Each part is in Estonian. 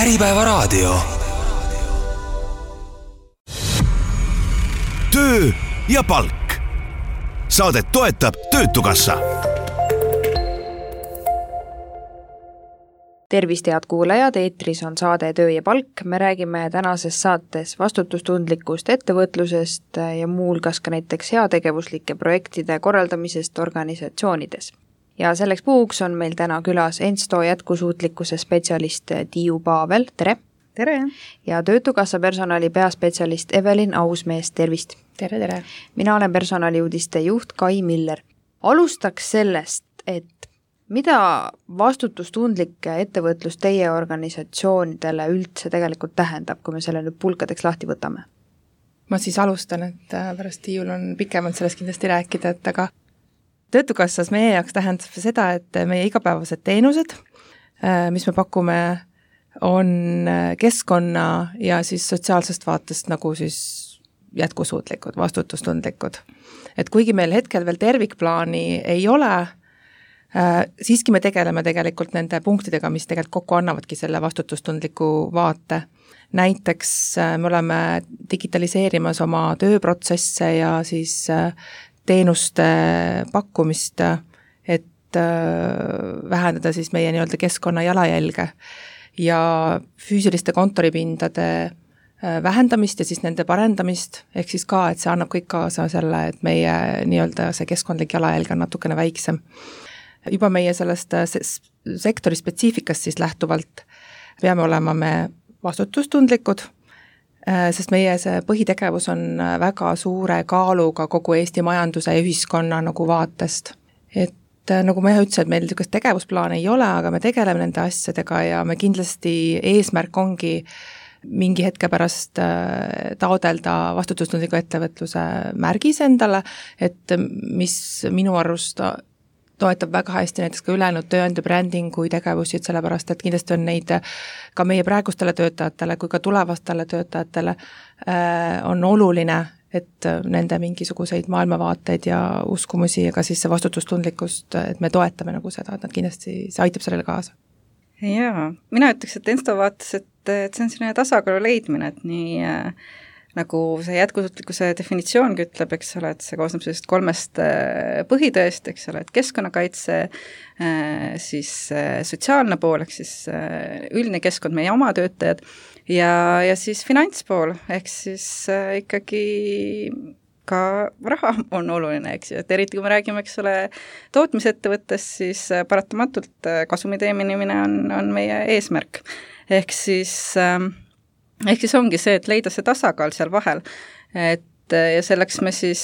Äripäevaraadio. Töö ja palk. Saadet toetab Töötukassa. Tervist, head kuulajad, eetris on saade Töö ja palk. Me räägime tänases saates vastutustundlikust ettevõtlusest ja muulgas ka näiteks heategevuslike projektide korraldamisest organisatsioonides. Ja selleks puhuks on meil täna külas Ensto jätkusuutlikkuse spetsialist Tiiu Paavel, tere! Tere! Ja Töötukassa personali peaspetsialist Evelin Ausmees, tervist! Tere, tere! Mina olen personaliuudiste juht Kai Miller. Alustaks sellest, et mida vastutustundlik ettevõtlus teie organisatsioonidele üldse tegelikult tähendab, kui me selle nüüd pulkadeks lahti võtame? Ma siis alustan, et pärast Tiiul on pikemalt sellest kindlasti rääkida, et aga Töötukassas meie jaoks tähendab seda, et meie igapäevased teenused, mis me pakume, on keskkonna ja siis sotsiaalsest vaatest nagu siis jätkusuutlikud, vastutustundlikud. Et kuigi meil hetkel veel tervikplaani ei ole, siiski me tegeleme tegelikult nende punktidega, mis tegelikult kokku annavadki selle vastutustundliku vaate. Näiteks me oleme digitaliseerimas oma tööprotsesse ja siis teenuste pakkumist, et vähendada siis meie nii-öelda keskkonna jalajälge ja füüsiliste kontoripindade vähendamist ja siis nende parendamist, ehk siis ka, et see annab kõik kaasa selle, et meie nii-öelda see keskkondlik jalajälg on natukene väiksem. Juba meie sellest sektori spetsiifikast siis lähtuvalt peame olema me vastutustundlikud, sest meie see põhitegevus on väga suure kaaluga kogu Eesti majanduse ja ühiskonna nagu vaatest. Et nagu ma ütlesin, et meil niisugust tegevusplaane ei ole, aga me tegeleme nende asjadega ja me kindlasti eesmärk ongi mingi hetke pärast taodelda vastutustundliku ettevõtluse märgis endale, et mis minu arust toetab väga hästi näiteks ka ülejäänud tööandja brändingu tegevusi, et sellepärast, et kindlasti on neid ka meie praegustele töötajatele kui ka tulevastele töötajatele on oluline, et nende mingisuguseid maailmavaateid ja uskumusi ja ka siis see vastutustundlikkust, et me toetame nagu seda, et nad kindlasti, see aitab sellele kaasa. Jaa, mina ütleks, et Ensto vaates, et see on selline tasakaalu leidmine, et nii nagu see jätkusuutlikkuse definitsioongi ütleb, eks ole, et see koosneb sellisest 3 põhitõest, eks ole, et keskkonnakaitse, siis sotsiaalne pool, ehk siis üldine keskkond, meie oma töötajad, ja siis finantspool, ehk siis ikkagi ka raha on oluline, eks ju, et eriti kui me räägime, eks ole, tootmisettevõttest, siis paratamatult kasumi teenimine on meie eesmärk. Ehk siis ongi see, et leida see tasakaal seal vahel, et ja selleks me siis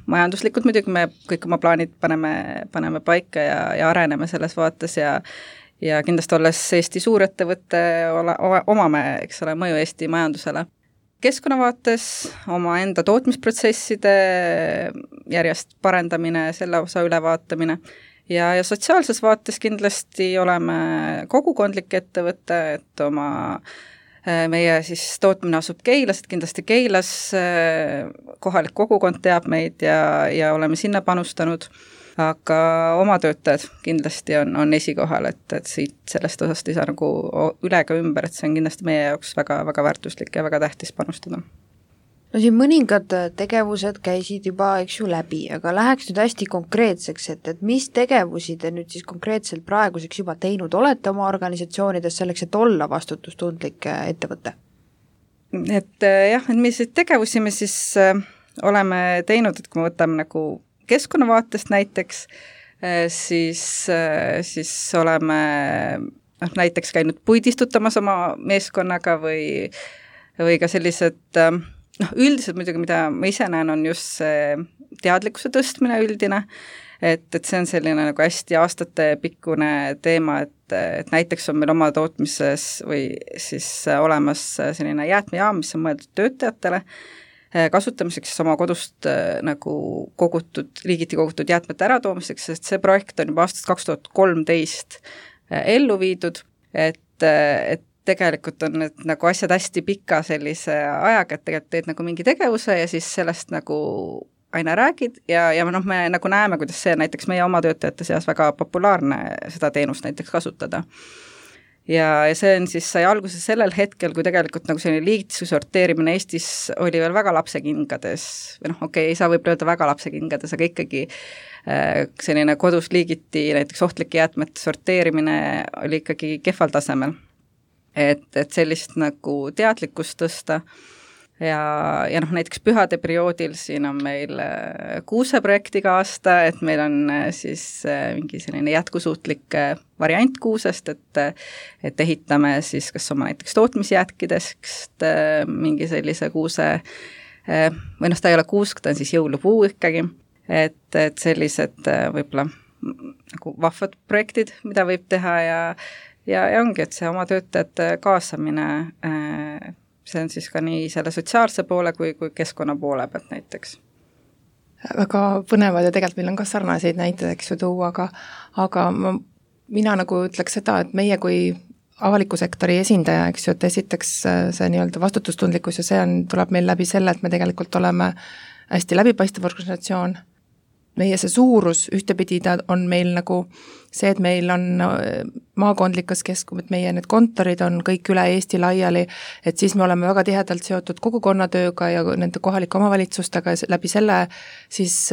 majanduslikult muidugi me kõik oma plaanid paneme paika ja areneme selles vaates ja kindlasti olles Eesti suurettevõtte omame, eks ole, mõju Eesti majandusele. Keskkonnavaates oma enda tootmisprotsesside järjest parendamine, selle osa ülevaatamine ja sotsiaalses vaates kindlasti oleme kogukondlik ettevõte, et meie siis tootmine asub Keilas, et kindlasti Keilas kohalik kogukond teab meid ja oleme sinna panustanud, aga oma töötajad kindlasti on esikohal, et siit sellest osast ei saa nagu üle ka ümber, et see on kindlasti meie jaoks väga, väga väärtuslik ja väga tähtis panustada. No siin mõningad tegevused käisid juba, eks ju, läbi, aga läheks nüüd hästi konkreetseks, et mis tegevusi te nüüd siis konkreetselt praeguseks juba teinud olete oma organisatsioonides selleks, et olla vastutustundlik ettevõte? Et jah, et milliseid tegevusi me siis oleme teinud, et kui me võtame nagu keskkonnavaatest näiteks, siis oleme näiteks käinud puidistutamas oma meeskonnaga või ka sellised üldiselt muidugi, mida ma ise näen, on just see teadlikkuse tõstmine üldine, et see on selline nagu hästi aastatepikkune teema, et näiteks on meil oma tootmises või siis olemas selline jäätmejaam, mis on mõeldud töötajatele kasutamiseks oma kodust nagu riigiti kogutud jäätmete äratoomiseks, sest see projekt on juba aastast 2013 ellu viidud, et tegelikult on need nagu asjad hästi pika sellise ajaga, et tegelikult teed nagu mingi tegevuse ja siis sellest nagu aina räägid ja me nagu näeme, kuidas see näiteks meie oma töötajate seas väga populaarne seda teenust näiteks kasutada. ja see on siis, sai alguse sellel hetkel, kui tegelikult nagu selline liigituse sorteerimine Eestis oli veel väga lapsekingades, või okei, ei saa võib-olla öelda väga lapsekingades, aga ikkagi selline kodus liigiti näiteks ohtlike jäätmete sorteerimine oli ikkagi kehval tasemel. Et sellist nagu teadlikkust tõsta ja näiteks pühade perioodil siin on meil kuuseprojektiga aasta, et meil on siis mingi selline jätkusuutlik variant kuusest, et ehitame siis kas oma näiteks tootmisjäätkidest mingi sellise kuuse, või ta ei ole kuusk, ta on siis jõulupuu ikkagi, et sellised võib-olla nagu vahvad projektid, mida võib teha ja ongi, et see oma töötajate kaasamine, see on siis ka nii selle sotsiaalse poole kui keskkonna poole pealt näiteks. Väga põnevad ja tegelikult meil on ka sarnaseid näiteid, eks ju tuua, aga mina nagu ütleks seda, et meie kui avaliku sektori esindaja, eks ju, et esiteks see nii-öelda vastutustundlikkus ja see tuleb meil läbi selle, et me tegelikult oleme hästi läbipaistev organisatsioon. Meie see suurus ühtepidi on meil nagu see, et meil on maakondlikas et meie need kontorid on kõik üle Eesti laiali, et siis me oleme väga tihedalt seotud kogukonnatööga ja nende kohalike omavalitsustega ja läbi selle siis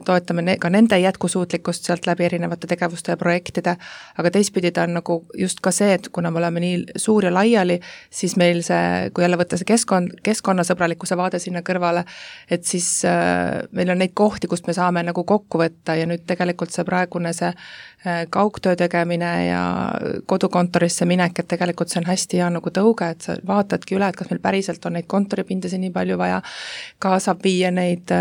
toetame ka nende jätkusuutlikkust sealt läbi erinevate tegevuste ja projektide, aga teistpidi ta on nagu just ka see, et kuna me oleme nii suur ja laiali, siis meil see, kui jälle võtta see keskkonnasõbralikkuse vaade sinna kõrvale, et siis meil on neid kohti, kust me saame nagu kokku võtta ja nüüd tegelikult see praegune see kaugtöö tegemine ja kodukontorisse minek, et tegelikult see on hästi hea nagu tõuge, et sa vaatadki üle, et kas meil päriselt on neid kontoripindasid nii palju vaja, ka saab viia neid,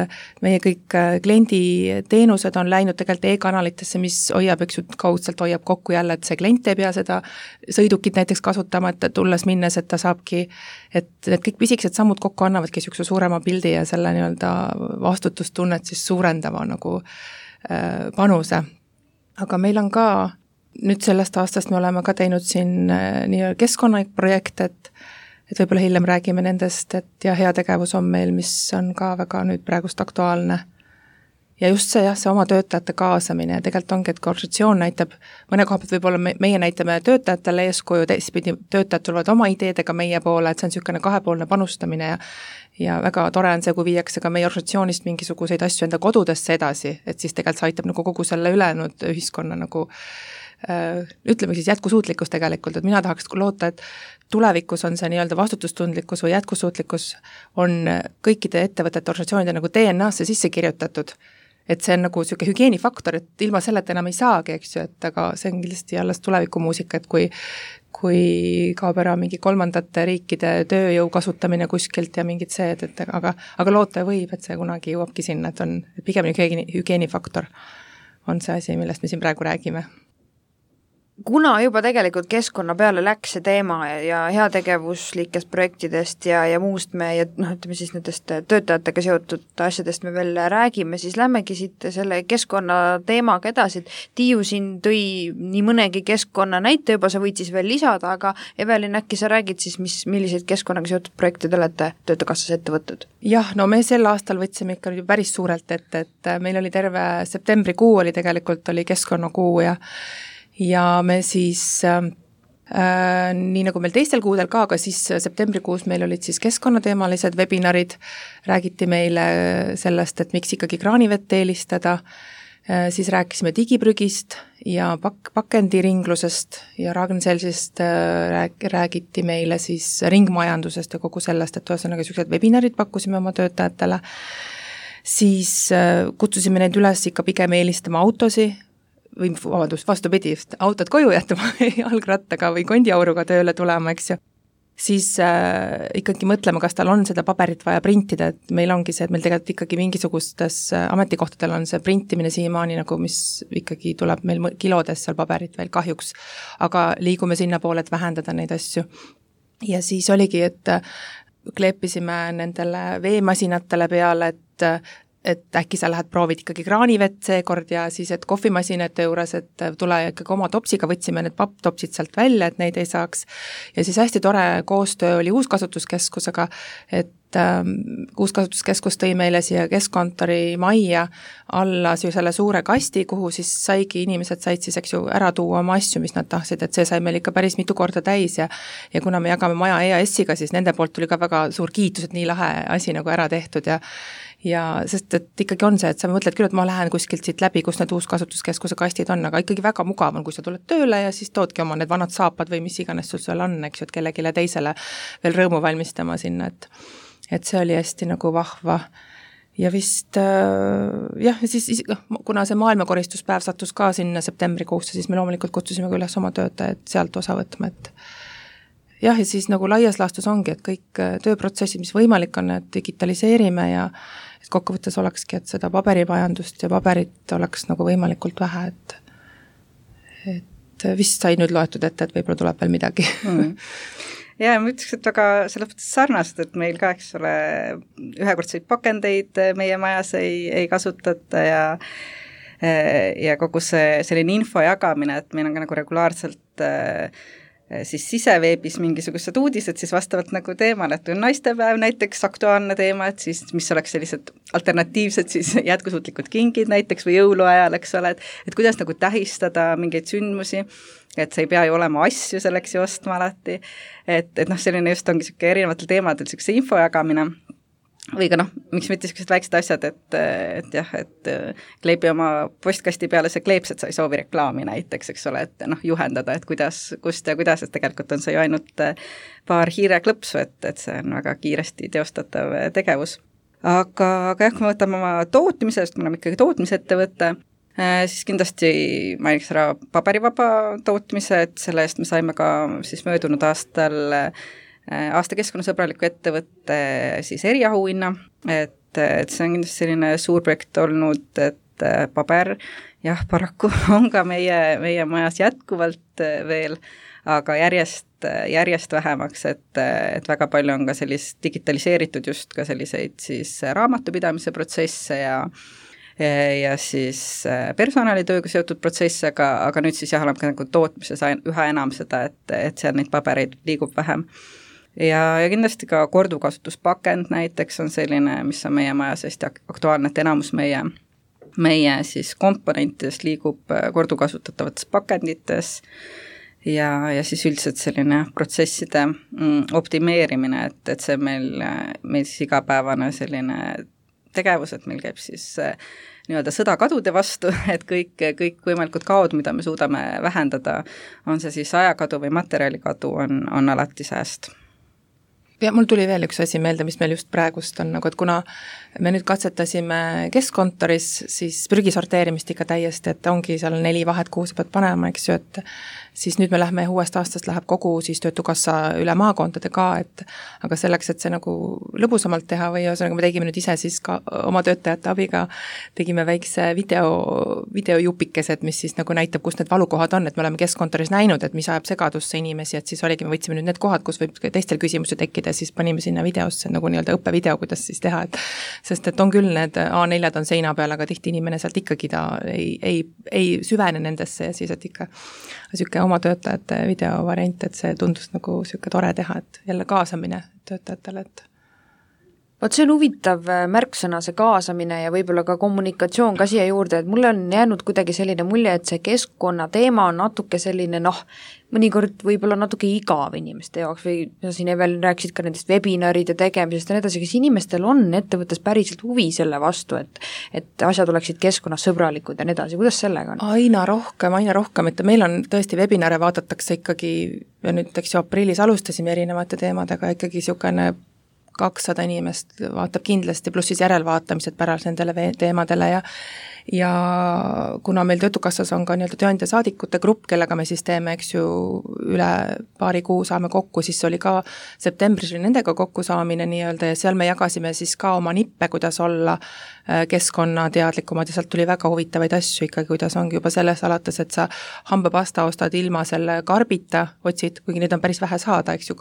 meie kõik klienditeenused on läinud tegelikult e-kanalitesse, mis hoiab, eks ju, kaudselt hoiab kokku jälle, et see klient ei pea seda sõidukit näiteks kasutama, et tulles minnes, et ta saabki, et need kõik pisikesed sammud kokku annavadki niisuguse suurema pildi ja selle nii-öelda vastutustunnet siis suurendava nagu panuse. Aga meil on ka, nüüd sellest aastast me oleme ka teinud siin nii keskkonnaprojekte, et võib-olla hiljem räägime nendest, et ja heategevus on meil, mis on ka väga nüüd praegust aktuaalne. Ja just see, see oma töötajate kaasamine ja tegelikult ongi, et kui organisatsioon näitab, mõne koha pealt võib-olla meie näitame töötajatele eeskuju, teistpidi töötajad tulevad oma ideedega meie poole, et see on niisugune kahepoolne panustamine ja väga tore on see, kui viiakse ka meie organisatsioonist mingisuguseid asju enda kodudesse edasi, et siis tegelikult see aitab nagu kogu selle ülejäänud ühiskonna nagu ütleme siis jätkusuutlikkus tegelikult, et mina tahaks loota, et tulevikus on see nii-öelda vastutustundlikkus või jätkusuutlikkus on kõikide ettevõtete organisatsioonide nagu DNA-sse sisse kirjutatud, et see on nagu niisugune hügieenifaktor, et ilma selleta enam ei saagi, eks ju, et aga see on kindlasti alles tulevikumuusika, et kui kaob ära mingi kolmandate riikide tööjõu kasutamine kuskilt ja mingid see, aga loota võib, et see kunagi jõuabki sinna, et on pigem hügieenifaktor on see asi, millest me siin praegu räägime. Kuna juba tegelikult keskkonna peale läks see teema ja heategevuslikest projektidest ja muust me, ja ütleme siis nendest töötajatega seotud asjadest me veel räägime, siis lämmegi siit selle keskkonna teemaga edasi, et Tiiu siin tõi nii mõnegi keskkonna näite juba, sa võid siis veel lisada, aga Evelin, äkki sa räägid siis, milliseid keskkonnaga seotud projekte te olete Töötukassas ette võtnud? Jah, no me sel aastal võtsime ikka päris suurelt ette, et meil oli terve septembrikuu oli tegelikult oli keskkonnakuu ja me siis nii nagu meil teistel kuudel ka, aga siis septembrikuus meil olid siis keskkonnateemalised webinarid, räägiti meile sellest, et miks ikkagi kraanivett eelistada, siis rääkisime digiprügist ja pakendiringlusest ja Ragn-Sellsist räägiti meile siis ringmajandusest ja kogu sellest, et ühesõnaga niisugused webinarid pakkusime oma töötajatele, siis kutsusime neid üles ikka pigem eelistama autosi, või vastupidi, autod koju jätma jalgrattaga või kondiauruga tööle tulema, eks ju, siis ikkagi mõtlema, kas tal on seda paberit vaja printida, et meil ongi see, et meil tegelikult ikkagi mingisugustes ametikohtadel on see printimine siiamaani nagu, mis ikkagi tuleb meil kilodes seal paberit veel kahjuks, aga liigume sinna poole, et vähendada neid asju. Ja siis oligi, et kleepisime nendele veemasinatele peale, et äkki sa lähed proovid ikkagi kraanivett seekord ja siis, et kohvimasinate juures, et tule ikkagi oma topsiga, võtsime need papptopsid sealt välja, et neid ei saaks. Ja siis hästi tore koostöö oli Uuskasutuskeskusega, et uuskasutuskeskus tõi meile siia keskkontori majja alla selle suure kasti, kuhu siis inimesed said siis, eks ju, ära tuua oma asju, mis nad tahtsid, et see sai meil ikka päris mitu korda täis ja kuna me jagame maja EAS-iga, siis nende poolt tuli ka väga suur kiitus, et nii lahe asi nagu ära tehtud ja sest et ikkagi on see, et sa mõtled küll, et ma lähen kuskilt siit läbi, kus need uuskasutuskeskuse kastid on, aga ikkagi väga mugav on, kui sa tuled tööle ja siis toodki oma need vanad saapad või mis iganes sul seal on, eks ju, et kellegile teisele veel rõõmu valmistama sinna, et see oli hästi nagu vahva. Ja vist siis, kuna see maailmakoristuspäev sattus ka sinna septembrikuusse, siis me loomulikult kutsusime ka üles oma töötajad sealt osa võtma, et ja siis nagu laias laastus ongi, et kõik tööprotsessid, mis võimalik on, et digitaliseerime ja et kokkuvõttes olekski, et seda paberimajandust ja paberit oleks nagu võimalikult vähe, et vist sai nüüd loetud ette, et võib-olla tuleb veel midagi. Ja ma ütleks, et väga selles mõttes sarnast, et meil ka, eks ole, ühekordseid pakendeid meie majas ei kasutata ja kogu see selline info jagamine, et meil on ka nagu regulaarselt siis siseveebis mingisugused uudised siis vastavalt nagu teemale, et on naistepäev näiteks aktuaalne teema, et siis mis oleks sellised alternatiivsed siis jätkusuutlikud kingid näiteks või jõuluajal, eks ole, et kuidas nagu tähistada mingeid sündmusi, et see ei pea ju olema asju selleks ju ostma alati, et selline just ongi selline erinevatel teemadel selline info jagamine või ka miks mitte sellised väiksed asjad, et kleebi oma postkasti peale see kleeps, et sa ei soovi reklaami näiteks, eks ole, et juhendada, et kuidas, kust ja kuidas, et tegelikult on see ju ainult paar hiireklõpsu, et see on väga kiiresti teostatav tegevus. Aga jah, kui me võtame oma tootmisest, me oleme ikkagi tootmisettevõte, siis kindlasti mainiks ära paberivaba tootmise, et selle eest me saime ka siis möödunud aastal aasta keskkonnasõbraliku ettevõtte siis eriauhinna, et see on kindlasti selline suur projekt olnud, et paber, jah, paraku on ka meie majas jätkuvalt veel, aga järjest vähemaks, et väga palju on ka sellist digitaliseeritud just ka selliseid siis raamatupidamise protsesse ja siis personalitööga seotud protsesse, aga nüüd siis oleme ka nagu tootmises üha enam seda, et seal neid pabereid liigub vähem. Ja kindlasti ka korduvkasutuspakend näiteks on selline, mis on meie majas hästi aktuaalne, et enamus meie siis komponentidest liigub korduvkasutatavates pakendites ja siis üldiselt selline protsesside optimeerimine, et see meil siis igapäevane selline tegevus, et meil käib siis nii-öelda sõda kadude vastu, et kõik võimalikud kaod, mida me suudame vähendada, on see siis ajakadu või materjalikadu, on alati sääst. Ja mul tuli veel üks asi meelde, mis meil just praegust on, nagu et kuna me nüüd katsetasime keskkontoris, siis prügi sorteerimist ikka täiesti, et ongi seal 4 vahet, kuhu sa pead panema, eks ju, et siis nüüd me lähme uuest aastast läheb kogu siis Töötukassa üle maakondade ka, aga selleks, et see nagu lõbusamalt teha või ühesõnaga me tegime nüüd ise siis ka oma töötajate abiga, tegime väikse videojupikesed, mis siis nagu näitab, kus need valukohad on, et me oleme keskkontoris näinud, et mis ajab segadusse inimesi, et siis oligi, me võtsime nüüd need kohad, kus võib teistel küsimusi tekkida, siis panime sinna videosse nagu nii-öelda õppevideo, kuidas siis teha, sest et on küll need A4-d on seina peal, aga tihti inimene sealt ikkagi ta ei süvene nendesse ja siis, et ikka niisugune oma töötajate videovariant, et see tundus nagu niisugune tore teha, et jälle kaasamine töötajatele, et Vot see on huvitav märksõna, see kaasamine ja võib-olla ka kommunikatsioon ka siia juurde, et mulle on jäänud kuidagi selline mulje, et see keskkonna teema on natuke selline mõnikord võib-olla natuke igav inimeste jaoks või siin Evelin rääkisid ka nendest webinaride tegemisest ja nii edasi, kes inimestel on ettevõttes päriselt huvi selle vastu, et asjad oleksid keskkonnasõbralikud ja nii edasi, kuidas sellega on? Aina rohkem, et meil on tõesti webinare vaadatakse ikkagi, ja nüüd eks ju aprillis alustasime erinevate teemadega, ikkagi niisugune 200 inimest vaatab kindlasti, pluss siis järelvaatamised pärast nendele teemadele ja kuna meil Töötukassas on ka nii-öelda tööandja saadikute grupp, kellega me siis teeme, eks ju, üle paari kuu saame kokku, siis oli ka septembris nendega kokkusaamine nii-öelda ja seal me jagasime siis ka oma nippe, kuidas olla keskkonnateadlikumad ja sealt tuli väga huvitavaid asju ikkagi, kuidas ongi juba selles alates, et sa hambapasta ostad ilma selle karbita, otsid, kuigi neid on päris vähe saada, eks ju,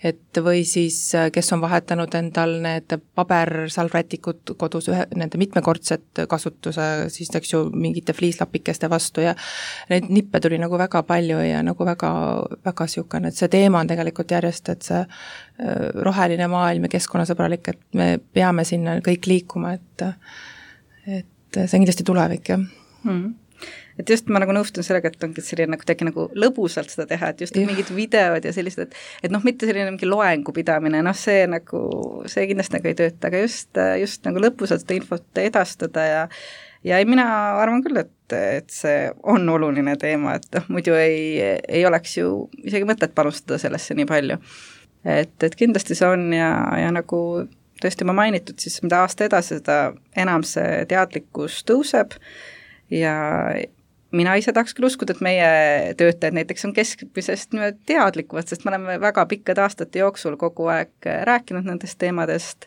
et või siis, kes on vahetanud endal need pabersalvrätikud kodus nende mitmekordset kasutuse siis eks ju mingite fliislapikeste vastu ja neid nippe tuli nagu väga palju ja nagu väga, väga siukene, et see teema on tegelikult järjest, et see roheline maailm ja keskkonnasõbralik, et me peame sinna kõik liikuma, et see on kindlasti tulevik, jah. Et just ma nagu nõustun sellega, et ongi selline nagu lõbusalt seda teha, et just mingid videod ja sellised, et mitte selline mingi loengu pidamine, see kindlasti nagu ei tööta, aga just nagu lõbusalt seda infot edastada ja mina arvan küll, et see on oluline teema, et muidu ei oleks ju isegi mõtet panustada sellesse nii palju. Et kindlasti see on ja nagu tõesti ma mainitud, siis mida aasta edasi, seda enam see teadlikkus tõuseb ja mina ise tahaks küll uskuda, et meie töötajad näiteks on keskmisest teadlikumad, sest me oleme väga pikkade aastate jooksul kogu aeg rääkinud nendest teemadest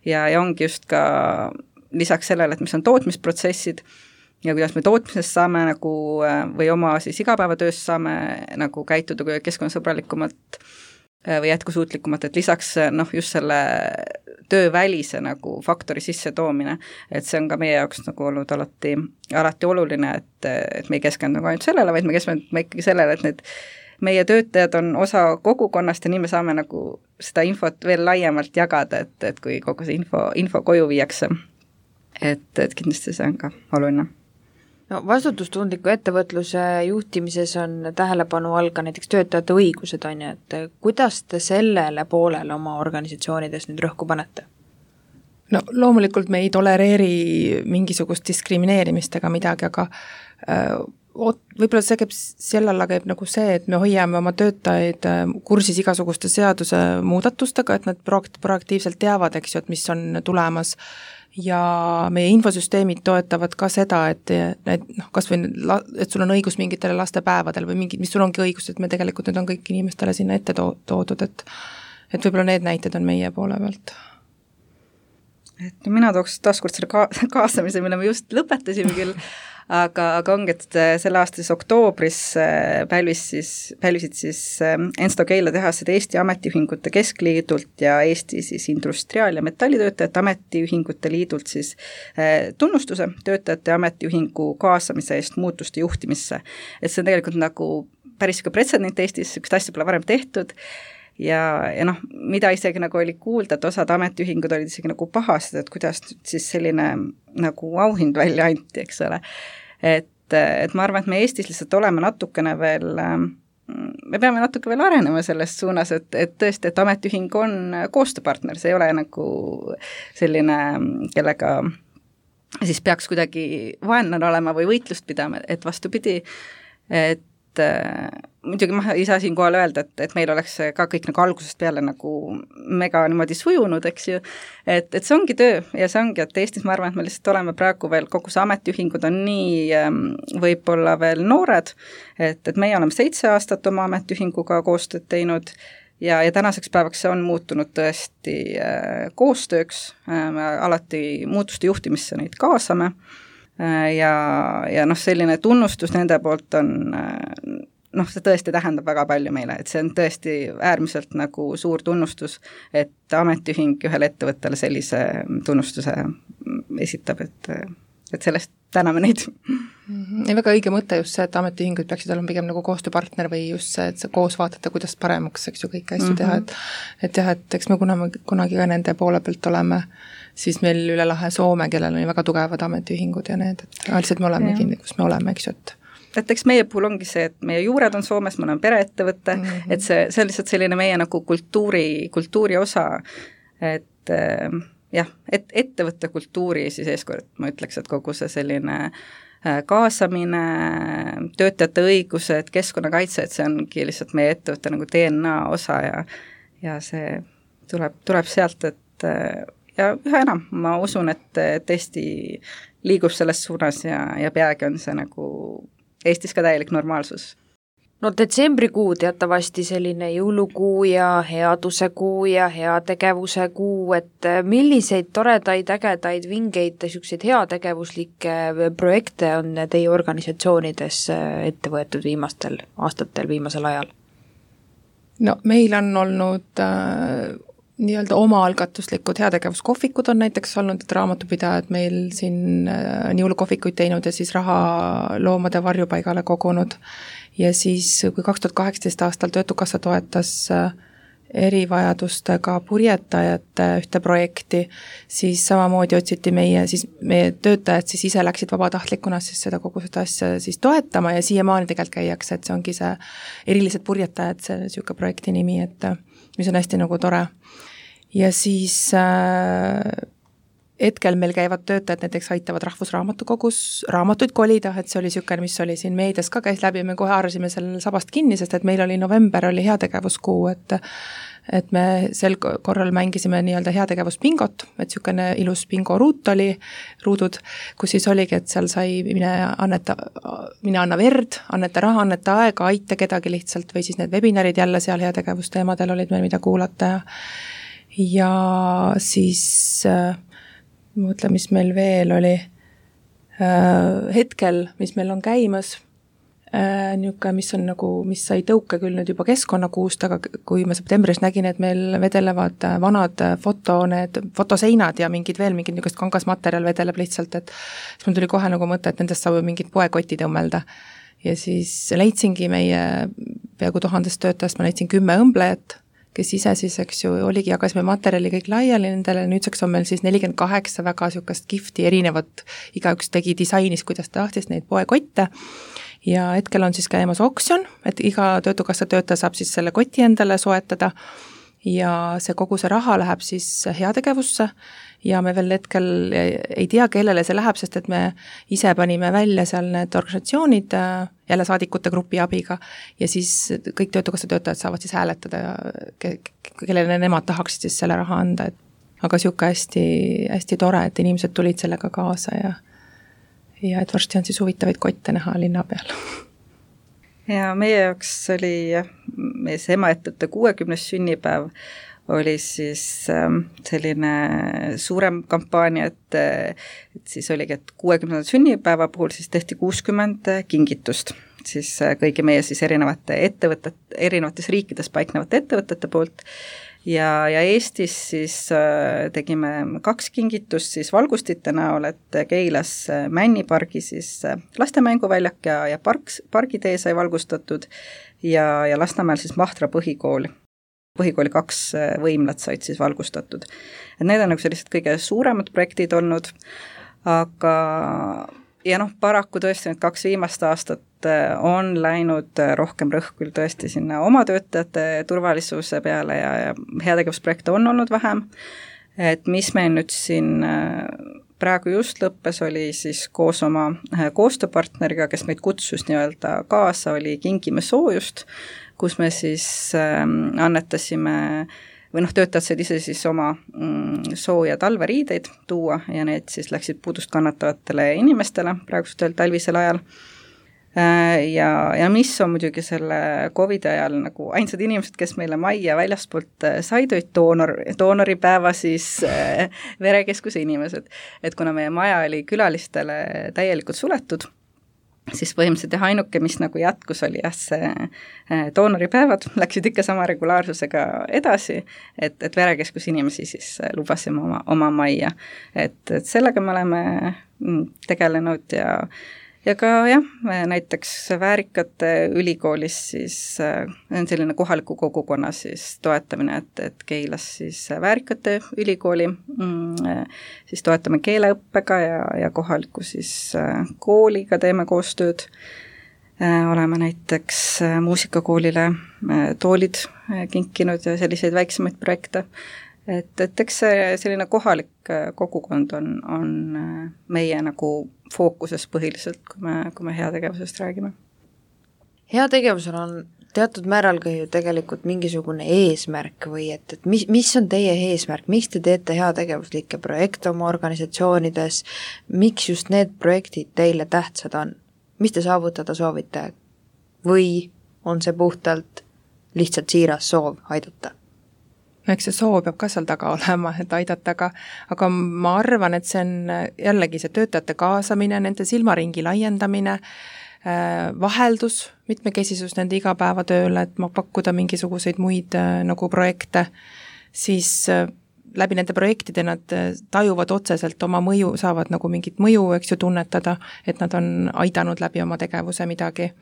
ja ongi just ka lisaks sellele, et mis on tootmisprotsessid ja kuidas me tootmisest saame nagu või oma siis igapäevatöös saame nagu käituda keskkonnasõbralikumalt või jätkusuutlikumalt, et lisaks just selle töövälise nagu faktori sisse toomine, et see on ka meie jaoks nagu olnud alati oluline, et me ei keskendu ainult sellele, vaid me keskendume ikkagi sellele, et need meie töötajad on osa kogukonnast ja nii me saame nagu seda infot veel laiemalt jagada, et kui kogu see info koju viiakse, et kindlasti see on ka oluline. No vastutustundliku ettevõtluse juhtimises on tähelepanu all ka näiteks töötajate õigused, on ju, et kuidas te sellele poolele oma organisatsioonides nüüd rõhku panete? No loomulikult me ei tolereeri mingisugust diskrimineerimist ega midagi, aga võib-olla see käib selle alla käib nagu see, et me hoiame oma töötajaid kursis igasuguste seaduse muudatustega, et nad proaktiivselt teavad, eks ju, et mis on tulemas ja meie infosüsteemid toetavad ka seda, et kas või, et sul on õigus mingitele lastepäevadel või mis sul ongi õigus, et me tegelikult need on kõik inimestele sinna ette toodud, et võib-olla need näited on meie poole pealt. Et mina tooks taaskord selle kaasamise, mille me just lõpetasime küll, aga ongi, et selle aasta siis oktoobris pälvisid siis Ensto Keila tehased Eesti Ametiühingute Keskliidult ja Eesti siis Industriaal- ja Metallitöötajate Ametiühingute Liidult siis tunnustuse töötajate ametiühingu kaasamise eest muutuste juhtimisse. Et see on tegelikult nagu päris ka pretsedent Eestis, sükest asja pole varem tehtud ja mida isegi nagu oli kuulda, et osad ametiühingud olid isegi nagu pahased, et kuidas siis selline nagu auhind välja anti, eks ole. Et ma arvan, et me Eestis lihtsalt oleme natukene veel, me peame natuke veel arenema selles suunas, et tõesti, et ametiühing on koostööpartner, see ei ole nagu selline, kellega siis peaks kuidagi vaenlane olema või võitlust pidama, et vastupidi, et muidugi ma ei saa siin kohal öelda, et meil oleks ka kõik nagu algusest peale nagu mega niimoodi sujunud, eks ju, et see ongi töö ja see ongi, et Eestis ma arvan, et me lihtsalt oleme praegu veel, kogu see ametiühingud on nii võib-olla veel noored, et meie oleme 7 aastat oma ametiühinguga koostööd teinud ja tänaseks päevaks see on muutunud tõesti koostööks, me alati muutuste juhtimisse neid kaasame ja selline tunnustus nende poolt on, see tõesti tähendab väga palju meile, et see on tõesti äärmiselt nagu suur tunnustus, et ametiühing ühele ettevõttele sellise tunnustuse esitab, et sellest täname neid. Ja väga õige mõte just see, et ametiühingud peaksid olema pigem nagu koostööpartner või just see, et sa koos vaatate, kuidas paremaks, eks ju, kõiki asju teha, et jah, et eks me kunagi ka nende poole pealt oleme, siis meil üle lahe Soome, kellel on väga tugevad ametiühingud ja need, et lihtsalt me oleme kinni, kus me oleme, eks ju, et eks meie puhul ongi see, et meie juured on Soomes, me oleme pereettevõte, et see on lihtsalt selline meie nagu kultuuri osa, et jah, et ettevõtte kultuuri siis eeskord, ma ütleks, et kogu see selline kaasamine, töötajate õigused, keskkonnakaitse, et see ongi lihtsalt meie ettevõtte nagu DNA osa ja see tuleb sealt, et ja üha enam, ma usun, et Eesti liigub selles suunas ja peagi on see nagu Eestis ka täielik normaalsus. No detsembrikuu teatavasti selline jõulukuu ja headuse kuu ja heategevuse kuu, et milliseid toredaid, ägedaid, vingeid, selliseid heategevuslikke projekte on teie organisatsioonides ette võetud viimastel aastatel, viimasel ajal? No meil on olnud nii-öelda omaalgatuslikud heategevuskohvikud on näiteks olnud, et raamatupidajad meil siin jõulukohvikuid teinud ja siis raha loomade varjupaigale kogunud. Ja siis, kui 2018 aastal Töötukassa toetas erivajadustega purjetajate ühte projekti, siis samamoodi otsiti meie töötajad siis ise läksid vabatahtlikuna siis kogu seda asja siis toetama ja siiamaani tegelikult käiakse, et see ongi see erilised purjetajad, see niisugune projekti nimi, et mis on hästi nagu tore. Ja siis hetkel meil käivad töötajad, näiteks aitavad Rahvusraamatukogus raamatuid kolida, et see oli niisugune, mis oli siin meedias ka käis läbi, me kohe haarasime selle sabast kinni, sest et meil oli november, oli heategevuskuu, et me sel korral mängisime nii-öelda heategevuspingot, et niisugune ilus bingoruut oli, ruudud, kus siis oligi, et seal sai mine anna verd, anneta raha, anneta aega, aita kedagi lihtsalt või siis need webinarid jälle seal heategevusteemadel olid meil, mida kuulata ja siis mõtle, mis meil veel oli hetkel, mis meil on käimas, niisugune, mis on nagu, mis sai tõuke küll nüüd juba keskkonnakuust, aga kui ma septembris nägin, et meil vedelevad vanad fotoseinad ja mingid niisugust kangasmaterjal vedeleb lihtsalt, et siis mul tuli kohe nagu mõte, et nendest saab mingid poekotid õmmelda. Ja siis leidsingi meie peaaegu 1000 töötajast, ma leidsin 10 õmblejat, kes ise siis, eks ju, oligi, jagasime materjali kõik laiali nendele, nüüdseks on meil siis 48 väga niisugust kihvti erinevat, igaüks tegi disainis, kuidas tahtis neid poekotte ja hetkel on siis käimas oksjon, et iga Töötukassa töötaja saab siis selle koti endale soetada ja kogu see raha läheb siis heategevusse ja me veel hetkel ei tea, kellele see läheb, sest et me ise panime välja seal need organisatsioonid jälle saadikute grupi abiga ja siis kõik Töötukassa töötajad saavad siis hääletada, kellele nemad tahaksid siis selle raha anda, aga niisugune hästi, hästi tore, et inimesed tulid sellega kaasa ja et varsti on siis huvitavaid kotte näha linna peal. Ja meie jaoks oli meie see emaettevõtte 60. sünnipäev oli siis selline suurem kampaania, et siis oligi, et 60. sünnipäeva puhul siis tehti 60 kingitust siis kõigi meie siis erinevates riikides paiknevate ettevõtete poolt ja Eestis siis tegime 2 kingitust siis valgustite näol, et Keilas Männipargi siis lastemänguväljak ja pargitee sai valgustatud ja Lasnamäel siis Mahtra põhikooli 2 võimlat said siis valgustatud. Et need on nagu sellised kõige suuremad projektid olnud, aga ja paraku tõesti need 2 viimast aastat on läinud rohkem rõhk küll tõesti sinna oma töötajate turvalisuse peale ja heategevusprojekte on olnud vähem, et mis meil nüüd siin praegu just lõppes, oli siis koos oma koostööpartneriga, kes meid kutsus nii-öelda kaasa, oli Kingime soojust, kus me siis annetasime või töötajad said ise siis oma sooja talveriideid tuua ja need siis läksid puudust kannatavatele inimestele praegusel talvisel ajal. Ja mis on muidugi selle COVID ajal nagu ainsad inimesed, kes meile majja väljaspoolt said, doonoripäeva siis verekeskuse inimesed. Et kuna meie maja oli külalistele täielikult suletud, siis põhimõtteliselt ainuke, mis nagu jätkus, oli see doonoripäevad, läksid ikka sama regulaarsusega edasi, et verekeskus inimesi siis lubasime oma majja. Et sellega me oleme tegelenud ja ka näiteks Väärikate ülikoolis siis on selline kohaliku kogukonna siis toetamine, et Keilas siis Väärikate ülikooli siis toetame keeleõppega ja kohaliku siis kooliga teeme koostööd. Oleme näiteks muusikakoolile toolid kinkinud ja selliseid väiksemaid projekte. Et eks selline kohalik kogukond on meie nagu fookuses põhiliselt, kui me heategevusest räägime. Heategevusel on teatud määral ka ju tegelikult mingisugune eesmärk või et mis on teie eesmärk, miks te teete heategevuslikke projekte oma organisatsioonides, miks just need projektid teile tähtsad on, mis te saavutada soovite või on see puhtalt lihtsalt siiras soov aidata? Eks see soov peab ka seal taga olema, et aidata, aga ma arvan, et see on jällegi see töötajate kaasamine, nende silmaringi laiendamine, vaheldus, mitmekesisus nende igapäevatööle, et ma pakkuda mingisuguseid muid nagu projekte, siis läbi nende projektide nad tajuvad otseselt oma mõju, saavad nagu mingit mõju, eks ju, tunnetada, et nad on aidanud läbi oma tegevuse midagi.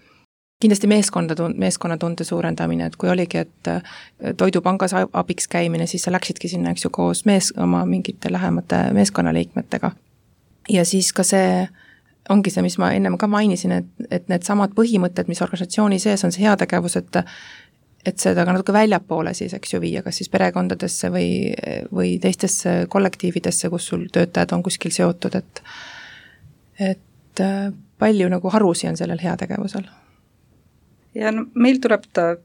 kindlasti meeskonnatunde suurendamine, et kui oligi, et toidupangas abiks käimine, siis sa läksidki sinna, eks ju, koos oma mingite lähemate meeskonnaliikmetega. Ja siis ka see ongi see, mis ma ennem ka mainisin, et need samad põhimõtted, mis organisatsiooni sees on see heategevus, et seda ka natuke väljapoole siis, eks ju, viia, kas siis perekondadesse või teistesse kollektiividesse, kus sul töötajad on kuskil seotud, et palju nagu harusi on sellel heategevusel. Ja no, meil tuleb ta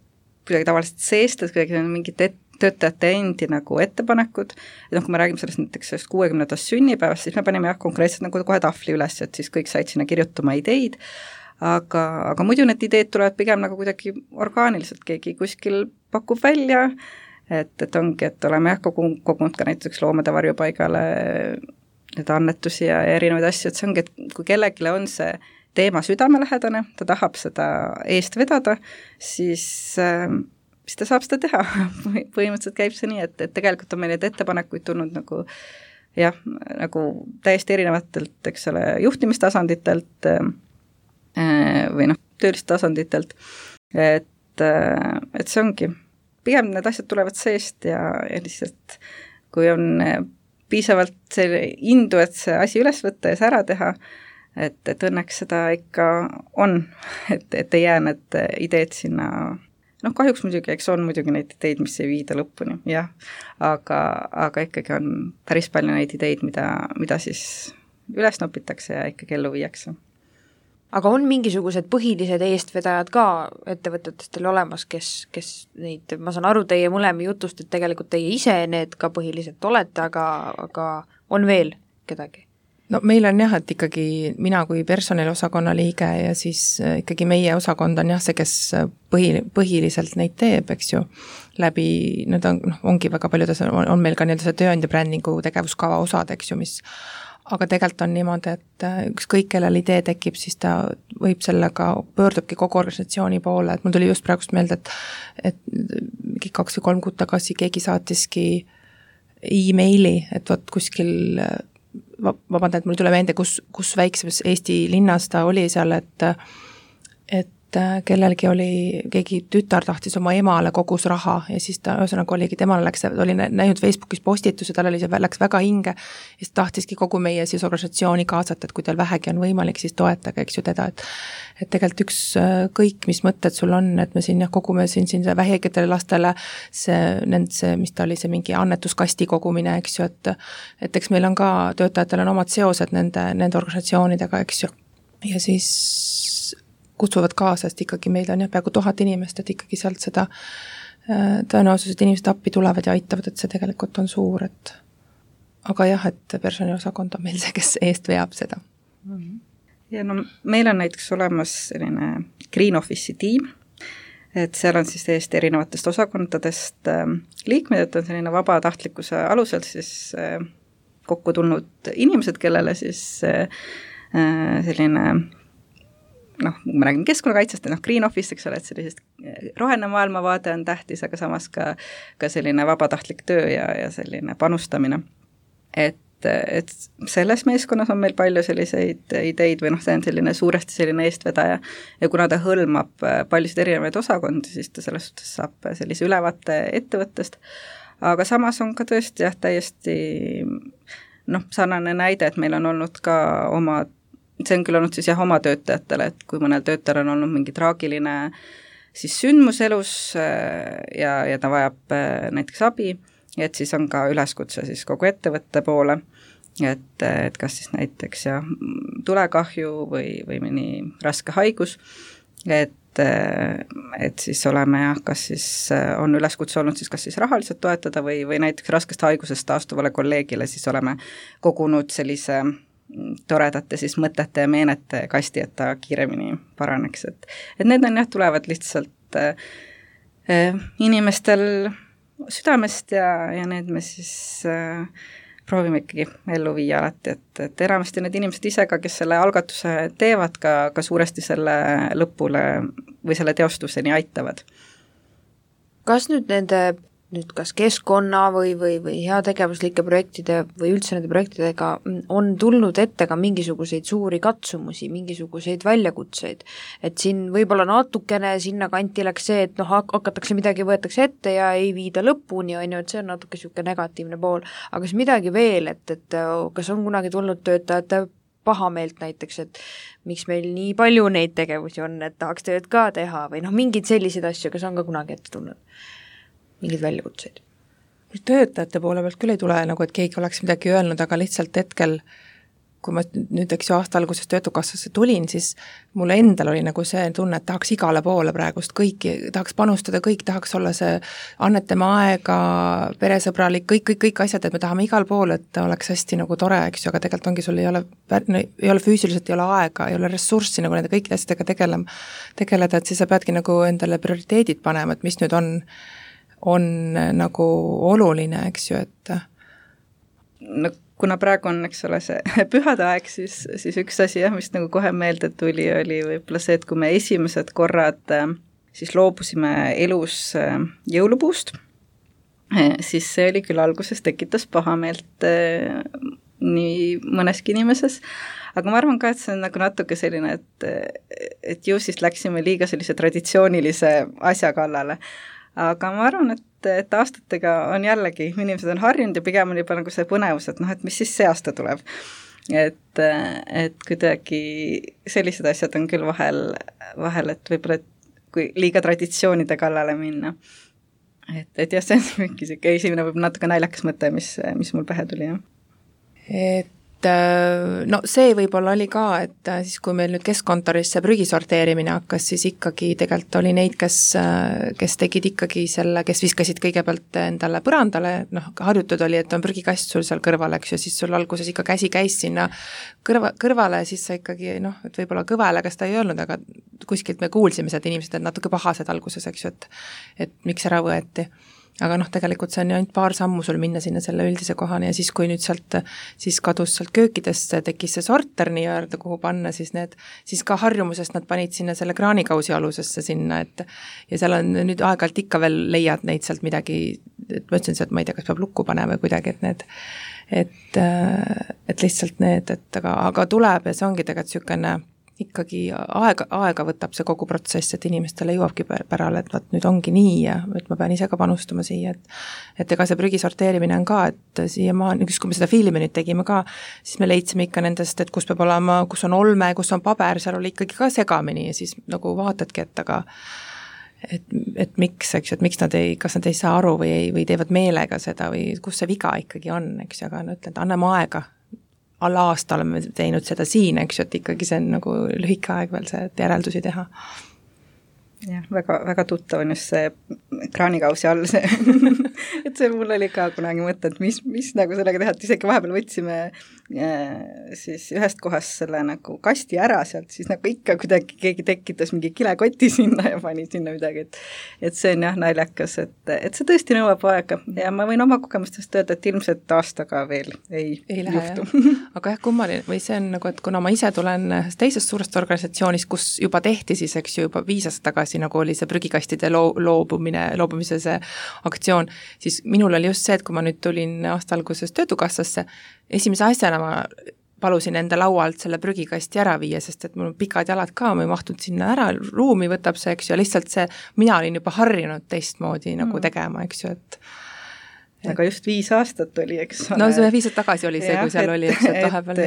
kuidagi tavaliselt seest, et kuidagi on mingid töötajate endi nagu ettepanekud, et kui me räägime sellest näiteks 60. sünnipäevast, siis me panime konkreetselt nagu kohe tahvli üles, et siis kõik said sinna kirjutama ideid, aga muidu need ideed tulevad pigem nagu kuidagi orgaaniliselt, keegi kuskil pakub välja, et ongi, et oleme kogunud ka näiteks loomade varjupaigale need annetusi ja erinevaid asju, et see ongi, et kui kellegile on see teema südamelähedane, ta tahab seda eest vedada, siis ta saab seda teha. Põhimõtteliselt käib see nii, et tegelikult on meil neid ettepanekuid tulnud nagu jah, nagu täiesti erinevatelt, eks ole, juhtimistasanditelt või töölistasanditelt, et see ongi, pigem need asjad tulevad seest ja lihtsalt kui on piisavalt selle indu, et see asi üles võtta ja see ära teha, et õnneks seda ikka on, et ei jää need ideed sinna, kahjuks muidugi, eks on muidugi neid ideid, mis ei viida lõpuni, jah, aga ikkagi on päris palju neid ideid, mida siis üles nopitakse ja ikkagi ellu viiakse. Aga on mingisugused põhilised eestvedajad ka ettevõtetest teil olemas, kes neid, ma saan aru teie mõlema jutust, et tegelikult teie ise need ka põhiliselt olete, aga on veel kedagi? No meil on jah, et ikkagi mina kui personaliosakonna liige ja siis ikkagi meie osakond on jah see, kes põhiliselt neid teeb, eks ju, läbi, need ongi väga paljudes, on meil ka see tööandja brändingu tegevuskava osad, eks ju, aga tegelikult on niimoodi, et ükskõik kellel idee tekib, siis ta võib sellega, pöördubki kogu organisatsiooni poole, et mul tuli just praegust meelde, et 2 või 3 kuud tagasi keegi saatiski e-maili, et võt kuskil vabandad, et mul tuleb meelde, kus väiksemas Eesti linnas ta oli seal, et kellelgi oli, keegi tütar tahtis oma emale kogus raha ja siis ta ühesõnaga oligi, temale oli näinud Facebookis postituse, tal oli see, läks väga hinge ja siis tahtiski kogu meie siis organisatsiooni kaasata, et kui teil vähegi on võimalik, siis toetage, eks ju teda, et tegelikult kõik, mis mõtted sul on, et me siin kogume siin väheketele lastele see, mis ta oli, see mingi annetuskasti kogumine, eks ju, et eks meil on ka, töötajatel on omad seosed nende organisatsioonidega, eks ju, ja siis kutsuvad kaasa, sest ikkagi meil on peaaegu 1000 inimest, et ikkagi sealt seda tõenäosus, et inimesed appi tulevad ja aitavad, et see tegelikult on suur, et aga jah, et personaliosakond on meil see, kes eest veab seda. Ja no meil on näiteks olemas selline Green Office'i tiim, et seal on siis täiesti erinevatest osakondadest liikmed, et on selline vabatahtlikkuse alusel siis kokku tulnud inimesed, kellele siis selline kui me räägime keskkonnakaitsest, Green Office, eks ole, et sellisest roheline maailmavaade on tähtis, aga samas ka selline vabatahtlik töö ja selline panustamine. Et selles meeskonnas on meil palju selliseid ideid või see on selline suuresti selline eestvedaja ja kuna ta hõlmab paljusid erinevaid osakondi, siis ta selles suhtes saab sellise ülevaate ettevõttest, aga samas on ka tõesti täiesti sarnane näide, et meil on olnud ka see on küll olnud siis oma töötajatele, et kui mõnel töötajal on olnud mingi traagiline siis sündmus elus ja ta vajab näiteks abi, et siis on ka üleskutse siis kogu ettevõtte poole, et kas siis näiteks tulekahju või mõni raske haigus, et siis oleme kas siis on üleskutse olnud siis kas siis rahaliselt toetada või näiteks raskest haigusest taastuvale kolleegile siis oleme kogunud sellise toredate siis mõtete ja meenete kasti, et ta kiiremini paraneks, et need on tulevad lihtsalt inimestel südamest ja need me siis proovime ikkagi ellu viia alati, et enamasti need inimesed ise ka, kes selle algatuse teevad, ka suuresti selle lõpule või selle teostuseni aitavad. Kas nüüd nende nüüd kas keskkonna või heategevuslike projektide või üldse nende projektidega on tulnud ette ka mingisuguseid suuri katsumusi, mingisuguseid väljakutseid. Et siin võib-olla natukene sinna kanti läks see, et hakatakse midagi, võetakse ette ja ei viida lõpuni, on ju, et see on natuke niisugune negatiivne pool. Aga kas midagi veel, et kas on kunagi tulnud töötajate pahameelt näiteks, et miks meil nii palju neid tegevusi on, et tahaks tööd ka teha või mingid sellised asju, kas on ka kunagi ette tulnud? Mingid väljakutseid? Töötajate poole pealt küll ei tule, et keegi oleks midagi öelnud, aga lihtsalt hetkel, kui ma nüüd aasta alguses Töötukassasse tulin, siis mulle endal oli see tunne, et tahaks igale poole praegust kõiki, tahaks panustada, kõik tahaks olla see annetama aega, peresõbralik, kõik asjad, et me tahame igal pool, et oleks hästi tore, eks ju, aga tegelikult ongi, sul ei ole füüsiliselt, ei ole aega, ei ole ressurssi nende kõikide asjadega tegeleda, et siis sa peadki endale prioriteedid panema, et mis nüüd on oluline, eks ju, et no kuna praegu on, eks ole, see pühade aeg, siis üks asi, mis kohe meelde tuli, oli võib-olla see, et kui me esimesed korrad siis loobusime elus jõulupuust, siis see oli küll alguses tekitas pahameelt nii mõneski inimeses, aga ma arvan ka, et see on natuke selline, et ju siis läksime liiga sellise traditsioonilise asja kallale. Aga ma arvan, et aastatega on jällegi, inimesed on harjunud ja pigem on juba see põnevus, et et mis siis see aasta tuleb. Et kuidagi sellised asjad on küll vahel, et võib-olla kui liiga traditsioonide kallale minna. Et jah, see on mingi esimene võib natuke naljakas mõte, mis mul pähe tuli, jah. No see võib-olla oli ka, et siis kui meil nüüd keskkontorisse prügi sorteerimine hakkas, siis ikkagi tegelikult oli neid, kes tegid ikkagi selle, kes viskasid kõigepealt endale põrandale, harjutud oli, et on prügikast sul seal kõrval, eks ju, siis sul alguses ikka käsi käis sinna kõrvale, siis sa ikkagi, et võib-olla kõvele, kas ta ei öelnud, aga kuskilt me kuulsime seda inimesed, et natuke pahased alguses, eks ju, et miks ära võeti. Aga tegelikult see on ju ainult paar sammu sul minna sinna selle üldise kohani ja siis, kui nüüd siis kadus sealt köökidesse, tekkis see sorter nii-öelda, kuhu panna, siis ka harjumusest nad panid sinna selle kraanikausi alusesse sinna, ja seal on nüüd aeg-ajalt ikka veel leiad neid sealt midagi, et ma ütlesin, et ma ei tea, kas peab lukku panema või kuidagi, et lihtsalt need, aga tuleb ja see ongi tegelikult niisugune ikkagi aega võtab see kogu protsess, et inimestele jõuabki pärale, et vaat nüüd ongi nii ja et ma pean ise ka panustama siia, et ega see prügi sorteerimine on ka, et siiamaani, kui me seda filmi nüüd tegime ka, siis me leidsime ikka nendest, et kus peab olema, kus on olme, kus on paber, seal oli ikkagi ka segamini ja siis vaatadki, et aga et miks, eks ju, et miks kas nad ei saa aru või teevad meelega seda või kus see viga ikkagi on, eks ju, aga ütlen, et anname aega. Alla aasta oleme teinud seda siin, eks ju, et ikkagi see on lühike aeg veel see järeldusi teha. Jah, väga tuttav on just see kraanikausi all see, et see mul oli ka kunagi mõte, et mis sellega teha, et isegi vahepeal võtsime siis ühest kohast selle kasti ära sealt, siis ikka kuidagi keegi tekitas mingi kilekoti sinna ja pani sinna midagi, et see on jah naljakas, et see tõesti nõuab aega ja ma võin oma kogemustest öelda, et ilmselt aastaga veel ei juhtu. Aga jah, kummaline, või see on et kuna ma ise tulen teisest suurest organisatsioonist, kus juba tehti siis, eks ju, juba 5 aastat tagasi oli see prügikastide loobumise see aktsioon, siis minul oli just see, et kui ma nüüd tulin aasta alguses Töötukassasse, esimese asjana ma palusin enda laualt selle prügikasti ära viia, sest et mul on pikad jalad ka, ma ei mahtunud sinna ära, ruumi võtab see, eks ju, lihtsalt see, mina olin juba harjunud teistmoodi tegema, eks ju, et aga just 5 aastat oli, eks ole. No see 5 aastat tagasi oli see, kui seal oli, eks, et vahepeal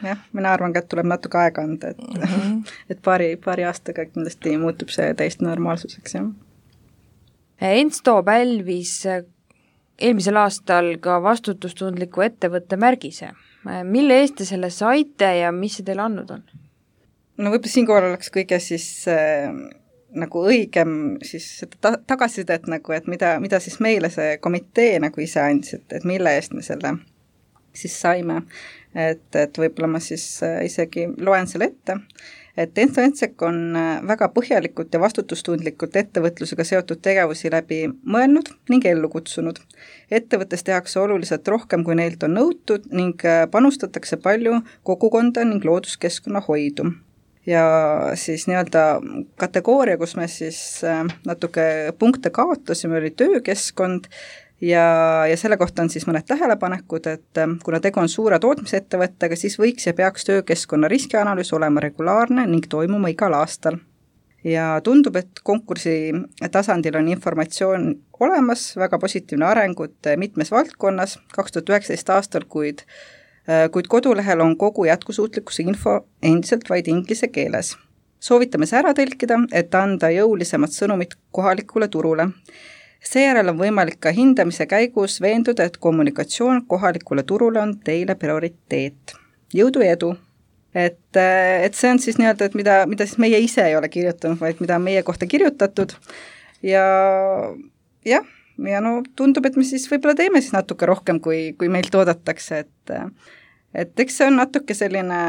jah, mina arvan ka, et tuleb natuke aega anda, et paari aastaga kindlasti muutub see täiesti normaalsuseks, jah. Ensto pälvis eelmisel aastal ka vastutustundliku ettevõtte märgise. Mille eest te selle saite ja mis see teile andnud on? No võib-olla siinkohal oleks kõige siis õigem siis seda tagasisidet, et mida siis meile see komitee ise andis, et mille eest me selle siis saime. Et võib-olla ma siis isegi loen selle ette, et Ensto Ensek on väga põhjalikult ja vastutustundlikult ettevõtlusega seotud tegevusi läbi mõelnud ning ellu kutsunud. Ettevõttes tehakse oluliselt rohkem, kui neilt on nõutud ning panustatakse palju kogukonda ning looduskeskkonna hoidu. ja siis nii-öelda kategooria, kus me siis natuke punkte kaotasime, oli töökeskkond ja selle kohta on siis mõned tähelepanekud, et kuna tegu on suure tootmisettevõttega, siis võiks ja peaks töökeskkonna riskianalüüs olema regulaarne ning toimuma igal aastal. Ja tundub, et konkursi tasandil on informatsioon olemas, väga positiivne arengut mitmes valdkonnas 2019 aastal, kuid kodulehel on kogu jätkusuutlikkuse info endiselt vaid inglise keeles. Soovitame see ära tõlkida, et anda jõulisemad sõnumid kohalikule turule. Seejärel on võimalik ka hindamise käigus veenduda, et kommunikatsioon kohalikule turule on teile prioriteet. Jõudu ja edu! Et see on siis nii-öelda, et mida siis meie ise ei ole kirjutanud, vaid mida on meie kohta kirjutatud ja no tundub, et me siis võib-olla teeme siis natuke rohkem, kui meilt oodatakse, et eks see on natuke selline,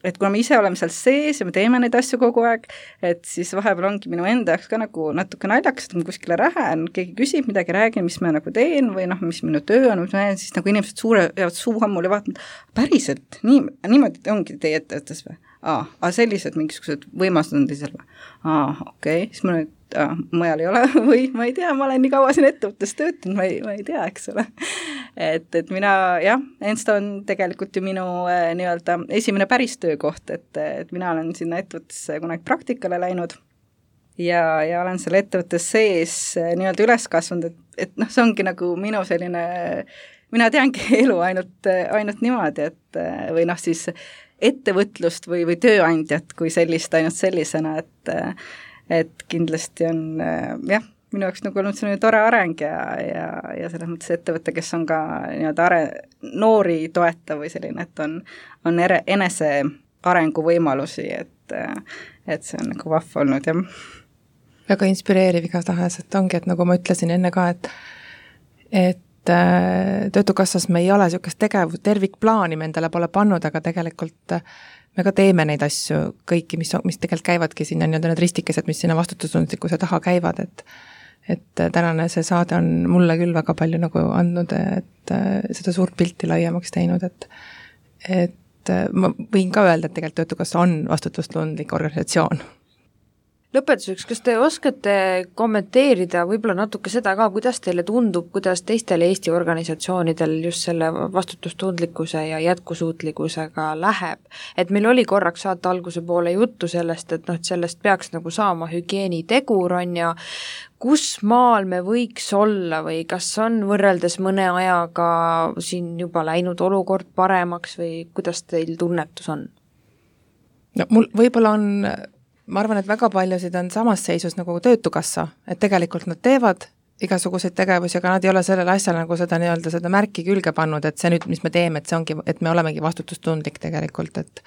et kuna me ise oleme seal sees ja me teeme neid asju kogu aeg, et siis vahepeal ongi minu enda jaoks ka nagu natuke naljakas, et ma kuskile lähen, keegi küsib midagi, räägin, mis ma nagu teen või mis minu töö on, mis ma näen, siis nagu inimesed jäävad suuhammul ja vaatavad, päriselt, niimoodi ongi teie ettevõttes või? Sellised mingisugused võimalused on teisel või? Okei, siis ma nüüd mujal ei ole või ma ei tea, ma olen nii kaua siin ettevõttes töötanud, ma ei tea, eks ole. Et mina, Ensto on tegelikult ju minu nii-öelda esimene päris töökoht, et mina olen sinna ettevõttesse kunagi praktikale läinud ja olen selle ettevõttes sees nii-öelda üles kasvanud, et see ongi nagu minu selline, mina teangi elu ainult niimoodi, et või siis ettevõtlust või tööandjat kui sellist ainult sellisena, et kindlasti on minu jaoks nagu olnud selline tore areng ja selles mõttes ettevõte, kes on ka nii-öelda noori toetav või selline, et on enese arengu võimalusi, et see on nagu vahva olnud ja väga inspireeriv igatahes, et ongi, et nagu ma ütlesin enne ka, et Töötukassas me ei ole niisugust tervikplaani me endale pole pannud, aga tegelikult me ka teeme neid asju kõiki, mis tegelikult käivadki sinna nii-öelda need ristikesed, mis sinna vastutustundlikkuse taha käivad, et tänane see saade on mulle küll väga palju nagu andnud, et seda suurt pilti laiemaks teinud, et ma võin ka öelda, et tegelikult Töötukassa on vastutustundlik organisatsioon. Lõpetuseks, kas te oskate kommenteerida võib-olla natuke seda ka, kuidas teile tundub, kuidas teistel Eesti organisatsioonidel just selle vastutustundlikkuse ja jätkusuutlikkusega läheb? Et meil oli korraks saate alguse poole juttu sellest, et sellest peaks nagu saama hügieenitegur on ja kus maal me võiks olla või kas on võrreldes mõne ajaga siin juba läinud olukord paremaks või kuidas teil tunnetus on? No mul võib-olla on ma arvan, et väga paljusid on samas seisus nagu Töötukassa, et tegelikult nad teevad igasuguseid tegevusi, aga nad ei ole sellele asjale nagu seda nii-öelda seda märki külge pannud, et see nüüd, mis me teeme, et see ongi, et me olemegi vastutustundlik tegelikult, et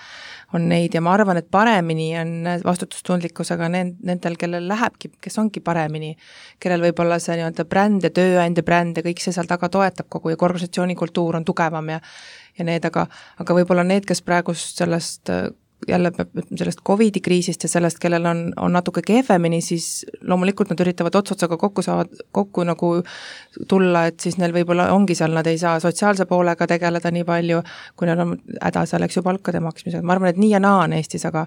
on neid ja ma arvan, et paremini on vastutustundlikkusega nendel, kellel lähebki, kes ongi paremini, kellel võib-olla see nii-öelda bränd ja tööandja bränd ja kõik see seal taga toetab kogu ja organisatsiooni kultuur on tugevam ja need, aga võib-olla need, kes praegu sellest COVID-i kriisist ja sellest, kellel on natuke kehvemini, siis loomulikult nad üritavad otsotsaga kokku nagu tulla, et siis neil võib-olla ongi seal, nad ei saa sotsiaalse poolega tegeleda nii palju, kui neil on häda selleks ju palkade maksmisega. Ma arvan, et nii ja naa on Eestis, aga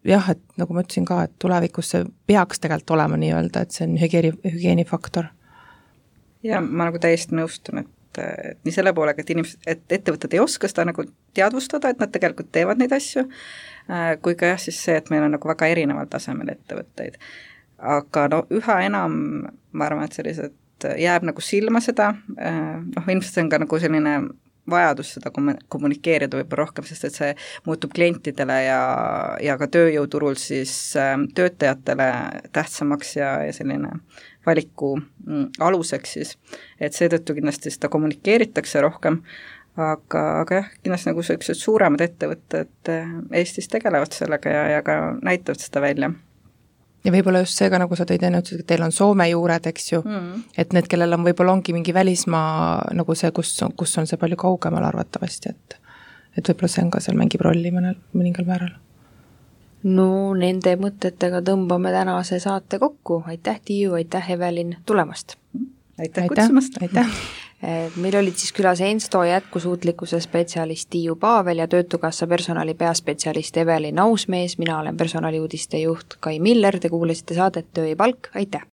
jah, et nagu ma ütlesin ka, et tulevikus see peaks tegelikult olema nii-öelda, et see on hügieenifaktor. Ja ma nagu täiesti nõustun, et nii selle poolega, et ettevõtted ei oska seda nagu teadvustada, et nad tegelikult teevad neid asju, kui ka siis see, et meil on nagu väga erineval tasemel ettevõtteid. Aga üha enam, ma arvan, et sellised jääb nagu silma seda, ilmselt see on ka nagu selline vajadus seda kommunikeerida võib-olla rohkem, sest et see muutub klientidele ja ka tööjõuturul siis töötajatele tähtsamaks ja selline valiku aluseks siis, et seetõttu kindlasti seda kommunikeeritakse rohkem, aga jah, kindlasti nagu sellised suuremad ettevõtted Eestis tegelevad sellega ja ka näitavad seda välja. Ja võib-olla just see ka, nagu sa tõid enne, et teil on Soome juured, eks ju, et need, kellel on võib-olla ongi mingi välismaa nagu see, kus on see palju kaugemal arvatavasti, et võib-olla see on ka seal mängib rolli mõningal määral. No nende mõtetega tõmbame tänase saate kokku. Aitäh, Tiiu, aitäh, Evelin, tulemast! Aitäh kutsumast! Aitäh! Meil olid siis külas Ensto jätkusuutlikkuse spetsialist Tiiu Paavel ja Töötukassa personali peaspetsialist Evelin Ausmees, mina olen personaliuudiste juht Kai Miller, te kuulasite saadet Töö ja palk, aitäh!